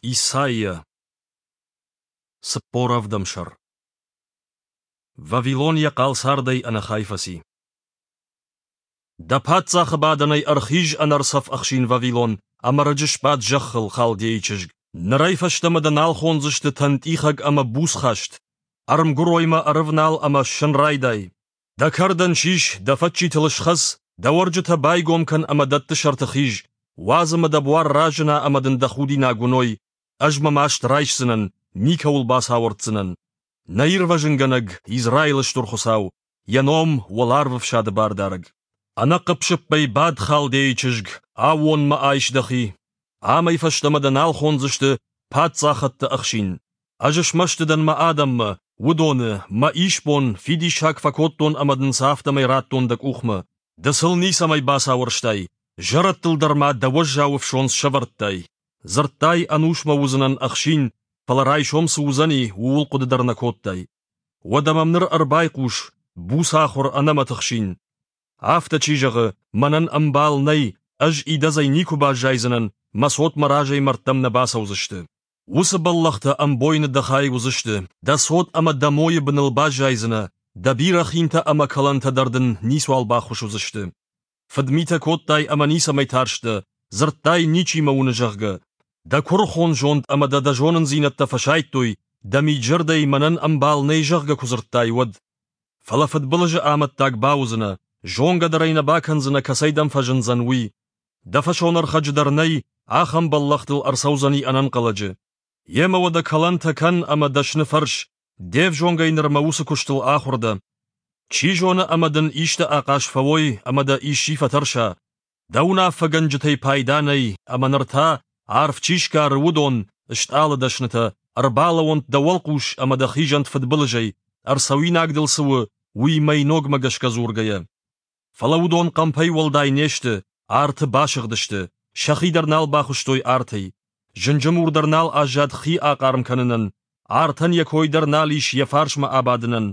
Исайя, 47 сӕр. Вавилон йӕ хъал цардӕй ӕнӕхай фӕци. Дӕ паддзахы бадӕнӕй ӕрхиз ӕнӕрцӕф ӕхсин Вавилон, ӕмӕ рыджы сбад зӕххыл, халдейы чызг. Нырӕй фӕстӕмӕ дӕ нал хондзысты тӕнтъихӕг ӕмӕ буцхаст. Ӕрмгуыроймӕ ӕрывнал ӕмӕ ссын райдай. Дӕ кӕрдӕн сис, дӕ фӕччитыл схӕц, дӕ уӕрджытӕ байгом кӕн ӕмӕ дӕтты сӕрты хиз. Уадз ӕмӕ дӕ буар разына ӕмӕ дын дӕ худинаг уыной. Ӕз мӕ маст райсдзынӕн, никӕуыл бацауӕрддзынӕн. Нӕ ирвӕзынгӕнӕг, Израилы Стыр Хуыцау, йӕ ном уӕларвы фсады бардарӕг. Ӕнӕхъыпп-сыппӕй бад, халдейы чызг, аууонмӕ айс дӕхи. Амӕй фӕстӕмӕ дӕ нал хондзысты паддзахӕдты ӕхсин. Ӕз смӕсты дӕн мӕ адӕммӕ, уыдоны, мӕ исбон, фидиссаг фӕкодтон ӕмӕ дын сӕ афтӕмӕй радтон дӕ къухмӕ. Ды сыл ницӕмӕй бацауӕрстай, зӕрӕдтыл дӕр ма дӕ уӕззау ӕфсондз сӕвӕрдтай. Дзырдтай, ӕнусмӕ уыдзынӕн ӕхсин, фӕлӕ райсом цы уыдзӕни, ууыл хъуыды дӕр нӕ кодтай. Уӕдӕ мӕм ныр ӕрбайхъус, буцахуыр, ӕнӕмӕт ӕхсин. Афтӕ чи зӕгъы, мӕнӕн ӕмбал нӕй, ӕз идӕдзӕй никуы баззайдзынӕн, мӕ цот мӕ разӕй мӕрдтӕм нӕ бацӕудзысты. Уыцы бӕллӕхтӕ ӕмбойны дӕ хай уыдзысты, дӕ цот ӕмӕ дӕ мойы быныл баззайдзынӕ, дӕ бирӕ хинтӕ ӕмӕ кӕлӕнтӕ дӕр дын ницуал баххуыс уыдзысты. Фыдмитӕ кодтай ӕмӕ ницӕмӕй тарстӕ, дзырдтай, ничи мӕ уыны, зӕгъгӕ. Дӕ куырыхон зонд ӕмӕ дӕ дӕ зонындзинӕдтӕ фӕсайдтой, дӕ мид-зӕрдӕйы мӕнӕн ӕмбал нӕй, зӕгъгӕ, куы дзырдтай, уӕд. Фӕлӕ фыдбылызы амӕттаг бауыдзынӕ, зонгӕ дӕр ӕй нӕ бакӕндзынӕ, кӕцӕй дӕм фӕзындзӕн, уый. Дӕ фӕсонӕрхӕджы дӕр нӕй, ахӕм бӕллӕх дыл ӕрцӕудзӕни ӕнӕнхъӕлӕджы. Йемӕ уӕдӕ кӕлӕнтӕ кӕн ӕмӕ дӕсны фӕрс, де взонгӕй нырмӕ уыцы куыстыл ахуыр дӕ. Чи зоны ӕмӕ дын исты ахъаз фӕуой ӕмӕ дӕ исчи фӕтӕрса. Дӕ уынаффӕгӕнджытӕй пайда нӕй, ӕмӕ ныр та, арф чи сгары, уыдон, стъалыдӕснытӕ, ӕрбалӕууӕнт дӕ уӕлхъус ӕмӕ дӕ хизӕнт фыдбылызӕй, ӕрцӕуинаг дыл цы у, уый мӕйногмӕ гӕсгӕ дзургӕйӕ. Фӕлӕ уыдон хъӕмпӕй уӕлдай не сты, арты басыгъдысты, сӕхи дӕр нал бахуыстой артӕй. Зынджы мур дӕр нал аззад хи ахъарм кӕнынӕн, артӕн йӕ кой дӕр нал ис йӕ фарсмӕ абадынӕн.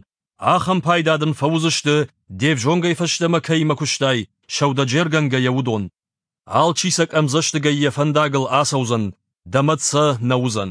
Ахӕм пайда дын фӕуыдзысты, де взонгӕй фӕстӕмӕ кӕимӕ куыстай, сӕудӕджергӕнгӕйӕ уыдон. Алчи сӕ къӕмдзӕстыгӕй йӕ фӕндагыл ацӕудзӕн, дӕ мӕт сӕ нӕ уыдзӕн.